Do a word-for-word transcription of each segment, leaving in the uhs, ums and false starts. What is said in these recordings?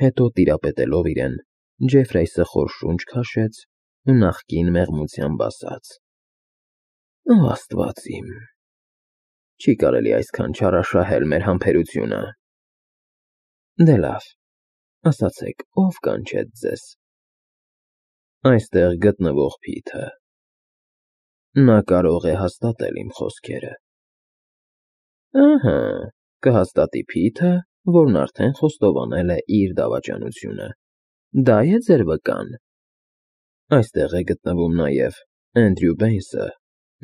Հետո տիրապետելով իրեն, Ջեֆրայսը խոր շունչ քաշեց ու նախկին մեղմությամբ ասաց. «Ո Աստված իմ, չի կարելի այսքան չարաշահել մեր համբերությունը։ Դե լավ, ասացեք, ով կանչեց ձեզ»։ «Այստեղ գտնվող Փիթը։ Նա կարող է հաստատել իմ խոսքերը»։ «Ահա, կհաստատի Փիթը, որն արդեն խոստովանել է իր դավաճանությունը, դա է ձեր վկան։ Այստեղ է գտնվում նաև Էնդրյու Բեյնսը,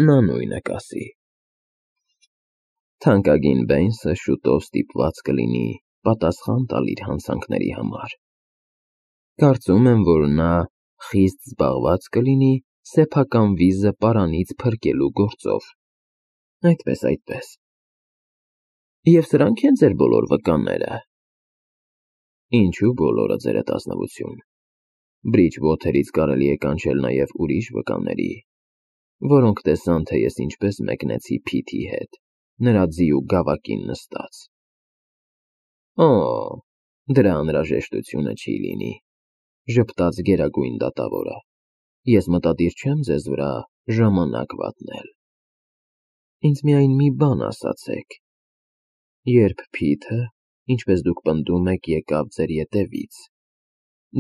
նա նույնը կասի»։ Թանկագին Բեյնսը շուտով ստիպված կլինի պատասխան տալ իր հանցանքների համար։ Կարծում եմ, որ նա խիստ զբաղված կլինի սեփական վիզը պարանից փրկելու գործով։ Այդպես, այդպես։ Եվ սրանք են ձեր բոլոր վկաները։ Ինչու բոլորը, ձերդ ազնվություն։ Բրիջվոթերից կարելի է կանչել նաև ուրիշ վկաների, որոնք տեսան, թե ես ինչպես մեկնեցի Փիթի հետ, նրա ձիու գավակին նստած։ Օ, դրա անհրաժեշտությունը չի լինի, ժպտաց Գերագույն դատավորը։ Ես մտադիր չեմ ձեզ վրա ժամանակ վատնել։ Ինձ միայն մի բան ասացեք. երբ Փիթը, ինչպես դուք պնդում եք, եկավ ձեր ետևից,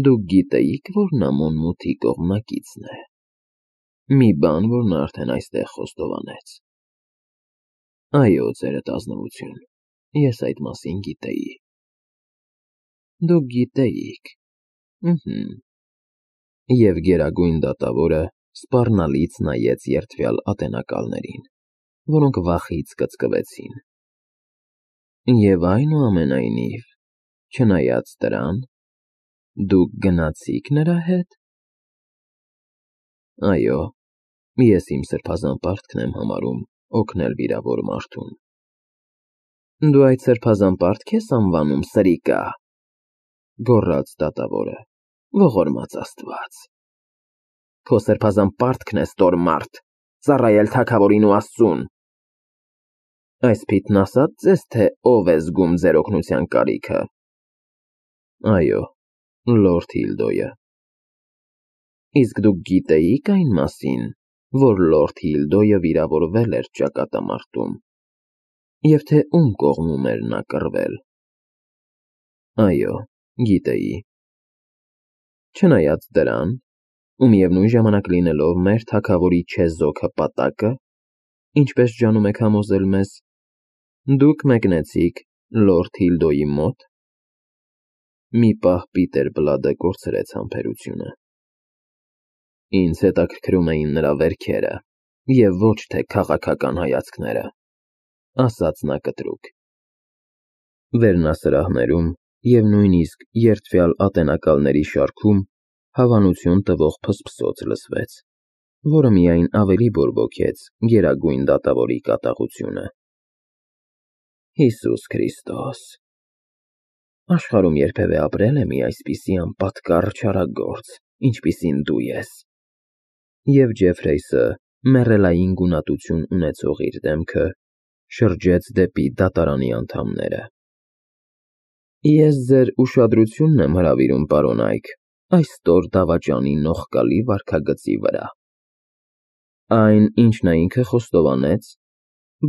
դուք գիտեիք, որ նա Մոնմութի կողմնակիցն է։ Մի բան, որ նա արդեն այստեղ խոստովանեց։ Այո, ձերդ ազնվություն, ես այդ մասին գիտեի։ Դուք գիտեիք, ըհը։ Եվ Գերագույն դատավորը սպառնալից նայեց երդվյալ ատենակալներին, որոնք վախից կծկվեցին։ Եվ այնուամենայնիվ, չնայած դրան, դուք գնացի՞ք նրա հետ։ Այո, ես իմ սրբազան պարտքն եմ համարում օգնել վիրավոր մարդուն։ Դու այդ սրբազան պարտք ես անվանում սրիկա, գոռաց դատավորը, ողորմած Աստված։ Քո սրբազան պարտքն է, ստորմարդ, ծառայել թագավորին ու Աստծուն։ Այս Փիթն ասա՞ց ձեզ, թե ով է զգում ձեր օգնության կարիքը։ Այո, լորդ Հիլդոյը։ Իսկ դուք գիտեիք այն մասին, որ լորդ Հիլդոյը վիրավորվել էր ճակատամարտում, և թե ում կողմում էր նա կռվել։ Այո, գիտեի։ Չնայած դրան, ու միևնույն ժամանակ լինելով մեր թագավորի չեզոք հպատակը, ինչպես ջանում եք համոզել մեզ, դուք մեկնեցիք լորդ Հիլդոյի մոտ։ Մի պահ Պիտեր Բլադը կորցրեց համբերությունը։ Ինձ հետաքրքրում էին նրա վերքերը, և ոչ թե քաղաքական հայացքները, ասաց նա կտրուկ։ Վերնասրահներում և նույնիսկ երդվյալ ատենակալների շարքում հավանություն տվող փսփսոց լսվեց, որը միայն ավելի բորբոքեց Գերագույն դատավորի կատաղությունը։ Հիսուս Քրիստոս, աշխարհում երբևէ ապրել է մի այսպիսի անպատկառ չարագործ, ինչպիսին դու ես։ Եվ Ջեֆրայսը մեռելային գունատություն ունեցող իր դեմքը շրջեց դեպի դատարանի անդամները։ Ես ձեր ուշադրությունն եմ հրավիրում, պարոն Այք, այս ստոր դավաճանի նողկալի վարքագծի վրա։ Այն, ինչ նա ինքը խոստովանեց,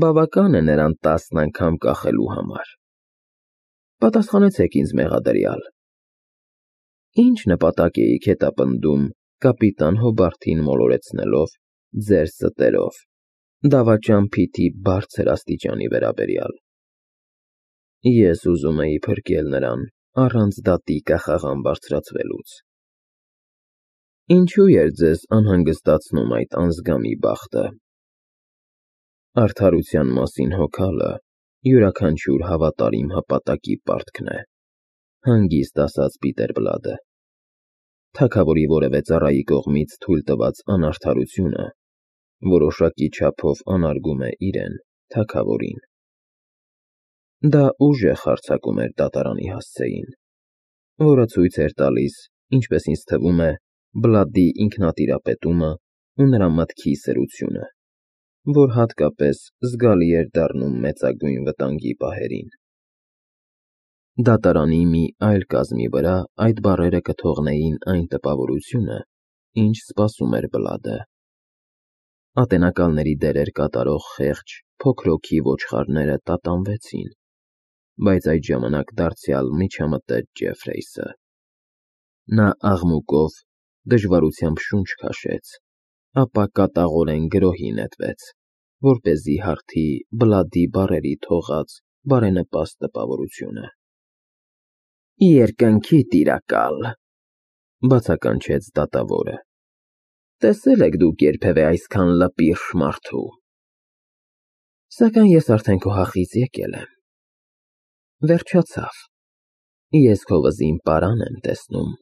բավական է նրան տասն անգամ կախելու համար։ Պատասխանեցեք ինձ, մեղադրյալ։ Ինչ նպատակ էիք հետապնդում կապիտան Հոբարթին մոլորեցնելով ձեր ստերով, դավաճան Փիթի բարձր աստիճանի վերաբերյալ։ Ես ուզում էի փրկել նրան առանց դատի կախաղան բարձրացվելուց։ Ինչու էր ձեզ անհանգստացնում այդ անզգամի բախտը։ Արդարության մասին հոգալը յուրաքանչյուր հավատարիմ հպատակի պարտքն է, հանգիստ ասաց Պիտեր Բլադը։ Թագավորի որևէ ծառայի կողմից թույլ տված անարդարությունը որոշակի չափով անարգում է իրեն, թագավորին։ Դա ուժեղ հարձակում էր դատարանի հասցեին, որը ցույց էր տալիս, ինչպես ինձ թվում է, Բլադի ինքնատիրապետումը ու նրա մտքի սրությունը, որ հատկապես զգալի էր դառնում մեծագույն վտանգի պահերին։ Դատարանի մի այլ կազմի վրա այդ բառերը կթողնեին այն տպավորությունը, ինչ սպասում էր Բլադը։ Ատենակալների դերեր կատարող խեղճ, փոքրոքի ոչխարները տատանվեցին, բայց այդ ժամանակ դարձյալ միջամտեց Ջեֆրեյսը։ Նա աղմուկով, դժվարությամբ շունչ քաշեց, ապա կատաղորեն գրոհի նետվեց, որպեսզի հարթի Բլադի բառերի թողած բարենպաստ տպավորությունը։ «Երկնքի տիրակալ», բացականչեց դատավորը, տեսե՞լ եք դուք երբևէ այսքան լպիրշ մարդու։ Սակայն ես արդեն քո հախից եկել եմ։ Վերջացավ։ Ես քո վզին պարան եմ տեսնում,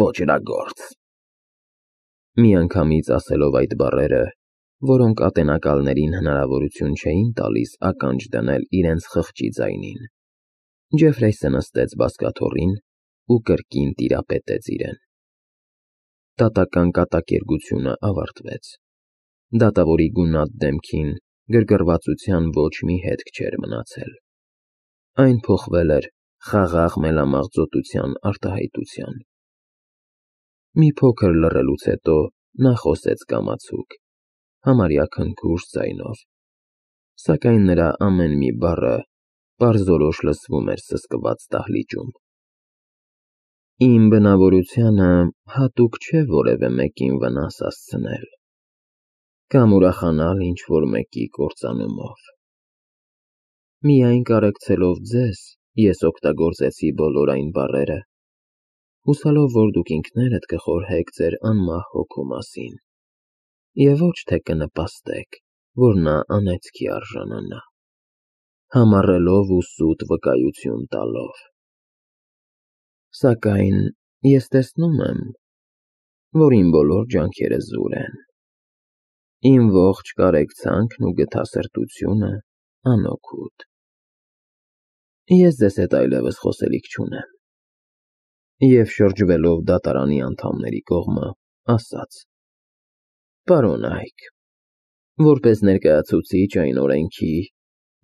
ոճրագործ։ Միանգամից ասելով այդ բառերը, որոնք ատենակալներին հնարավորություն չէին տալիս ականջ դնել իրենց խղճի ձայնին, Ջեֆրեյսը նստեց բազկաթոռին ու կրկին տիրապետեց իրեն։ Դատական կատակերգությունը ավարտվեց։ Դատավորի գունատ դեմքին գրգռվածության ոչ մի հետք չէր մնացել։ Այն փոխվել էր խաղաղ մելամաղձոտության արտահայտության։ Մի փոքր լռելուց հետո նա խոսեց կամացուկ, համարյա քնքուշ ձայնով, սակայն նրա ամեն մի բառը պարզորոշ լսվում էր սսկված դահլիճում։ Իմ բնավորությանը հատուկ չէ որևէ մեկին վնաս հասցնել կամ ուրախանալ ինչ-որ մեկի կործանումով։ Միայն կարեկցելով ձեզ, ես օգտագործեցի բոլոր այն բառերը, հուսալով, որ դուք ինքներդ կխորհեք ձեր անմահ հոգու մասին և ոչ թե կնպաստեք, որ նա անեծքի արժանանա, համառելով ու սուտ վկայություն տալով։ Սակայն ես տեսնում եմ, որ իմ բոլոր ջանքերը զուր են, իմ ողջ կարեկցանքն ու գթասրտությունը անօգուտ։ Ես ձեզ հետ այլևս խոսելիք չունեմ։ Եվ շրջվելով դատարանի անդամների կողմը, ասաց. Պարոն Այք, որպես ներկայացուցիչ այն օրենքի,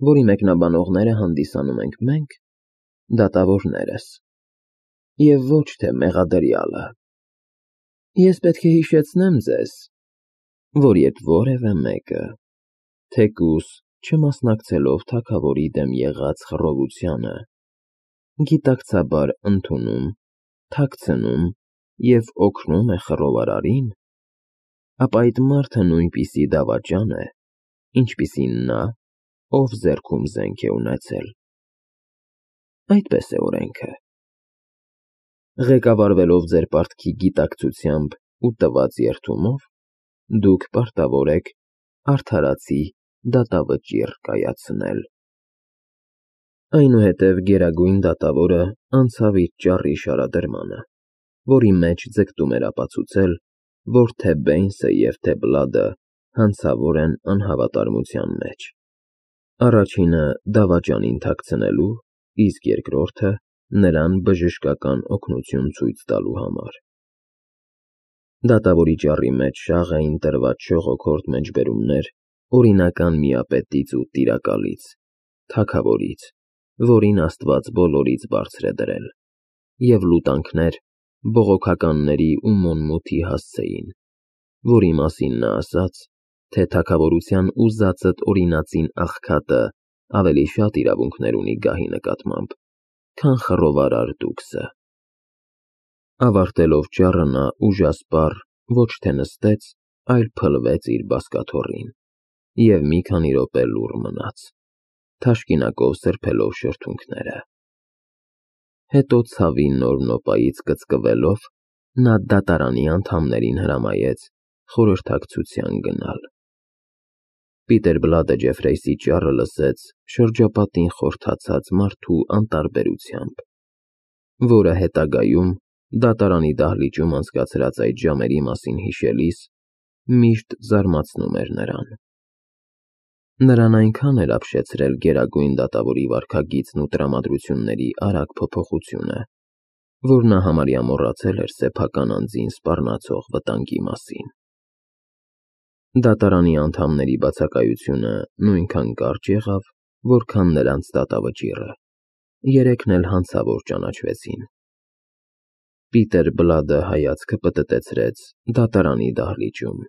որի մեկնաբանողները հանդիսանում ենք մենք, դատավորներս, և ոչ թե մեղադրյալը, ես պետք է հիշեցնեմ ձեզ, որ երբ որևէ մեկը, թեկուզ չմասնակցելով թագավորի դեմ եղած խռովությանը, գիտակցաբար ընդունում, թաքցնում և օգնում է խռովարարին, ապա այդ մարդը նույնպիսի դավաճան է, ինչպիսին նա, ով ձեռքում զենք է ունեցել։ Այդպես է օրենքը։ Ղեկավարվելով ձեր պարտքի գիտակցությամբ ու տված երդումով, դուք պարտավոր եք արդարացի դատավճիռ կայացնել։ Այնուհետև գերագույն դատավորը անցավ իր ճառի շարադրմանը, որի մեջ ձգտում էր ապացուցել, որ թե Բեյնսը և թե Բլադը հանցավոր են անհավատարմության մեջ, առաջինը դավաճանին թաքցնելու, իսկ երկրորդը նրան բժշկական օգնություն ցույց տալու համար։ Դատավորի ճառի մեջ շաղ էին տրված շողոքորթ մեջբերումներ օրինական միապետից ու տիրակալից, թագավորից, որին Աստված բոլորից բարձր է դրել, և լուտանքներ բողոքականների ու մոնմութի հասցեին, որի մասին նա ասաց, թե թագավորության ուզածդ օրինածին աղքատը ավելի շատ իրավունքներ ունի գահի նկատմամբ, քան խռովարար դուքսը։ Ավարտելով ճառը նա ուժասպառ ոչ թե նստեց, այլ փլվեց իր բազկաթոռին և մի քանի րոպե լուռ մնաց, թաշկինակով սրբելով շրթունքները։ Հետո ցավի նոր նոպայից կծկվելով, նա դատարանի անդամներին հրամայեց խորհրդակցության գնալ։ Պիտեր Բլադը Ջեֆրեյսի ճառը լսեց շրջապատին խորթացած մարդու անտարբերությամբ, որը հետագայում դատարանի դահլիճում անցկացրած այդ ժամերի մասին հիշելիս միշտ զարմացնում էր նրան։ Նրան այնքան էր ապշեցրել գերագույն դատավորի վարքագիծն ու տրամադրությունների արագ փոփոխությունը, որ նա համարյա մոռացել էր սեփական անձին սպառնացող վտանգի մասին։ Դատարանի անդամների բացակայությունը նույնքան կարճ եղավ, որքան նրանց դատավճիռը, երեքն էլ հանցավոր ճանաչվեցին։ Պիտեր Բլադը հայացքը պտտեցրեց դատարանի դահլիճում,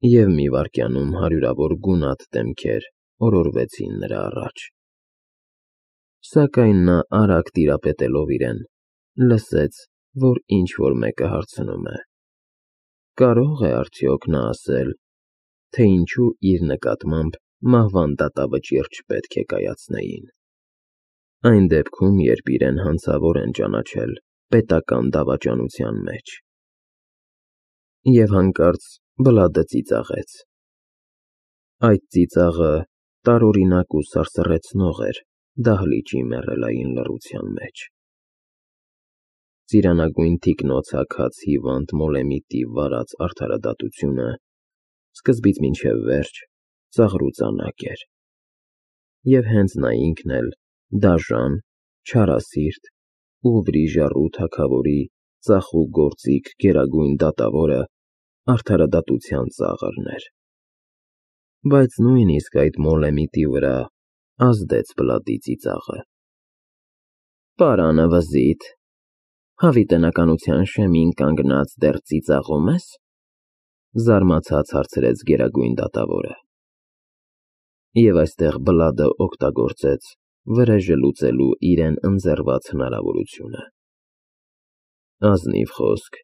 և մի վայրկյանում հարյուրավոր գունատ դեմքեր օրորվեցին նրա առաջ։ Սակայն նա արագ տիրապետելով իրեն, լսեց, որ ինչ-որ մեկը հարցնում է. կարո՞ղ է արդյոք նա ասել, թե ինչու իր նկատմամբ մահվան դատավճիռ չպետք է կայացնեին, այն դեպքում, երբ իրեն հանցավոր են ճանաչել պետական դավաճանության մեջ։ Եվ հանկարծ Բլադը ծիծաղեց։ Այդ ծիծաղը տարօրինակ ու սարսռեցնող էր դահլիճի մեռելային լռության մեջ։ Ծիրանագույն թիկնոց հագած հիվանդ մոլեմիտի վարած արդարադատությունը սկզբից մինչև վերջ ծաղրուծանակ էր, և հենց նա ինքն էլ դաժան, չարասիրտ ու վրիժառու թագավորի ծախուգործիկ գերագույն դատավորը արդարադատության ծաղրն էր։ Բայց նույնիսկ այդ մոլեմիտի վրա ազդեց Բլադի ծիծաղը։ «Պարանը վզիթ, հավիտենականության շեմին կանգնած դեռ ծիծաղո՞ւմ ես», զարմացած հարցրեց գերագույն դատավորը։ Եվ այստեղ Բլադը օգտագործեց վրեժը լուծելու իրեն ընձեռված հնարավորությունը։ Ազնիվ խոսք,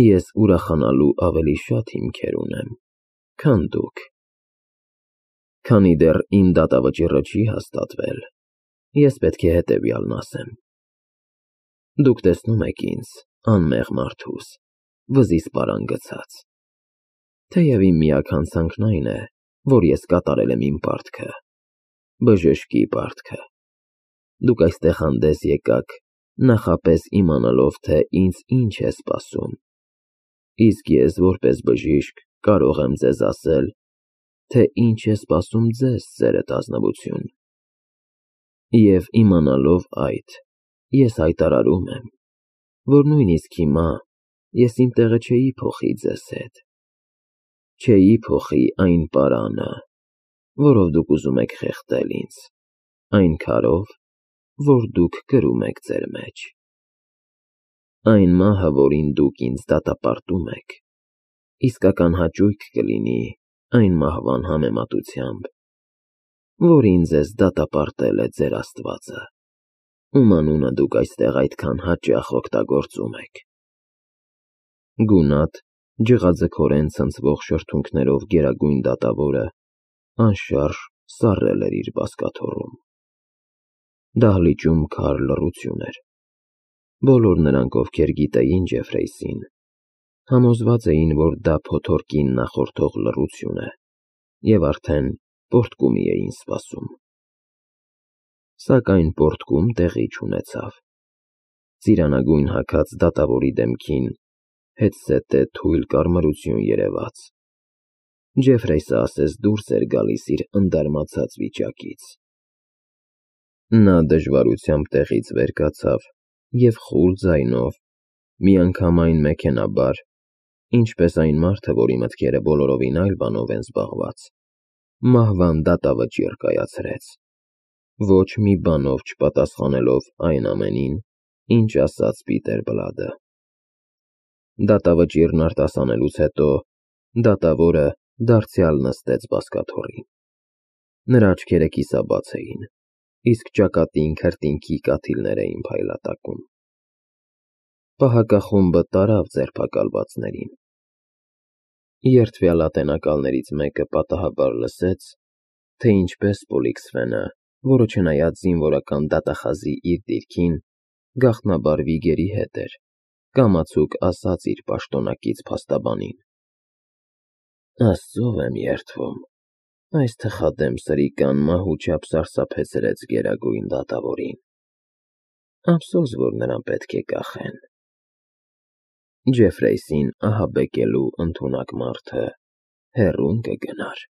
ես ուրախանալու ավելի շատ հիմքեր ունեմ, քան դուք։ Քանի դեռ իմ դատավճիռը չի հաստատվել, ես պետք է հետևյալն ասեմ. դուք տեսնում եք ինձ, անմեղ մարդուս, վզիս պարան գցած։ Թեև իմ միակ հանցանքն այն է, որ ես կատարել եմ իմ պարտքը, բժշկի պարտքը։ Դուք այստեղ հանդես եկաք նախապես իմանալով, թե ինձ ինչ է սպասում, իսկ ես որպես բժիշկ կարող եմ ձեզ ասել, թե ինչ է սպասում ձեզ, ծերդ ազնվություն։ Եվ իմանալով այդ, ես հայտարարում եմ, որ նույնիսկ հիմա ես իմ տեղը չէի փոխի ձեզ հետ, չէի փոխի այն պարանը, որով դուք ուզում եք խեղդել ինձ, այն քարով, որ դուք կրում եք ձեր մեջ։ Այն մահը, որին դուք ինձ դատապարտում եք, իսկական հաճույք կլինի այն մահվան համեմատությամբ, որին ձեզ դատապարտել է ձեր Աստվածը, ում անունը դուք այստեղ այդքան հաճախ օգտագործում եք։ Գունատ, ջղաձգորեն ցնցվող շրթունքներով գերագույն դատավորը անշարժ սառել էր իր բազկաթոռում։ Դահլիճում քար լռություն էր։ Բոլոր նրանք, ովքեր գիտեին Ջեֆրեյսին, համոզված էին, որ դա փոթորկին նախորդող լռություն է, և արդեն պոռթկումի էին սպասում։ Սակայն պոռթկում տեղի չունեցավ։ Ծիրանագույն հագած դատավորի դեմքին հետզհետե թույլ կարմրություն երևաց։ Ջեֆրեյսը ասես դուրս էր գալիս իր ընդարմացած վիճակից։ Նա դժվարությամբ տեղից վեր կացավ և խուլ ձայնով, միանգամայն մեքենայաբար, ինչպես այն մարդը, որի մտքերը բոլորովին այլ բանով են զբաղված, մահվան դատավճիռ կայացրեց, ոչ մի բանով չպատասխանելով այն ամենին, ինչ ասաց Պիտեր Բլադը։ Դատավճիռն արտասանելուց հետո դատավորը դարձյալ նստեց բազկաթոռին։ Նրա աչքերը կիսաբաց էին, իսկ ճակատին քրտինքի կաթիլներ էին փայլատակում։ Պահակախումբը տարավ ձերբակալվածներին։ Երդվյալ ատենակալներից մեկը պատահաբար լսեց, թե ինչպես Պոլիքսֆենը, որը չնայած զինվորական դատախազի իր դիրքին, գաղտնաբար վիգերի հետ էր, կամացուկ ասաց իր պաշտոնակից փաստաբանին. «Աստծով եմ երդվում, այս թխադեմ սրիկան մահու չափ սարսափեցրեց գերագույն դատավորին։ Ափսոս, որ նրան պետք է կախեն»։ Ջեֆրեյսին ահաբեկելու ընդունակ մարդը հեռուն կգնար։